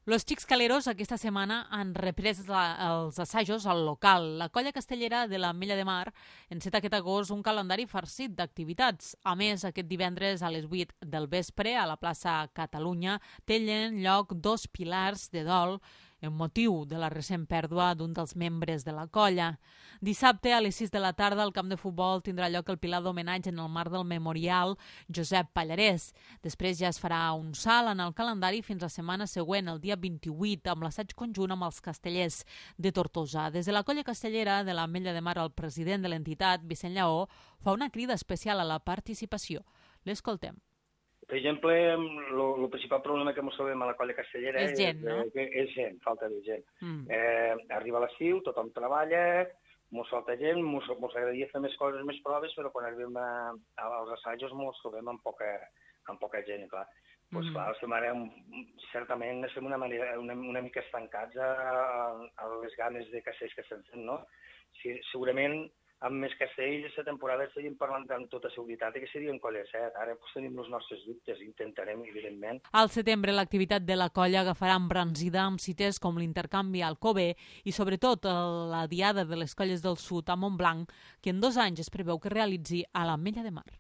Los Xics Caleros aquesta setmana han reprès els assajos al local. La colla castellera de l'Ametlla de Mar enceta aquest agost un calendari farcit d'activitats. A més, aquest divendres a les 8 del vespre a la plaça Catalunya tenen lloc 2 pilars de dol en motiu de la recent pèrdua d'un dels membres de la colla. Dissabte a les 6 de la tarda al camp de futbol tindrà lloc el pilar d'homenatge en el marc del memorial Josep Pallarès. Després ja es farà un salt en el calendari fins la setmana següent, el dia 28, amb l'assaig conjunt amb els castellers de Tortosa. Des de la colla castellera de l'Ametlla de Mar, el president de l'entitat, Vicent Lleó, fa una crida especial a la participació. L'escoltem. Per exemple, el principal problema que ens trobem a la colla castellera és gent, no? És gent, falta de gent. Arriba l'estiu, tothom treballa, ens falta gent, ens agradaria fer més coses, més proves, però quan arribem als assajos ens trobem amb poca gent, clar. Doncs clar, certament estem una mica estancats a les ganes de castells que estem fent, no? Segurament amb més castells aquesta temporada estaríem parlant amb tota seguretat que serien colla 7. Ara tenim els nostres dubtes, intentarem, evidentment. Al setembre l'activitat de la colla agafarà embranzida amb cites com l'intercanvi al Cove i sobretot la diada de les colles del sud a Montblanc, que en 2 anys es preveu que realitzi a l'Ametlla de Mar.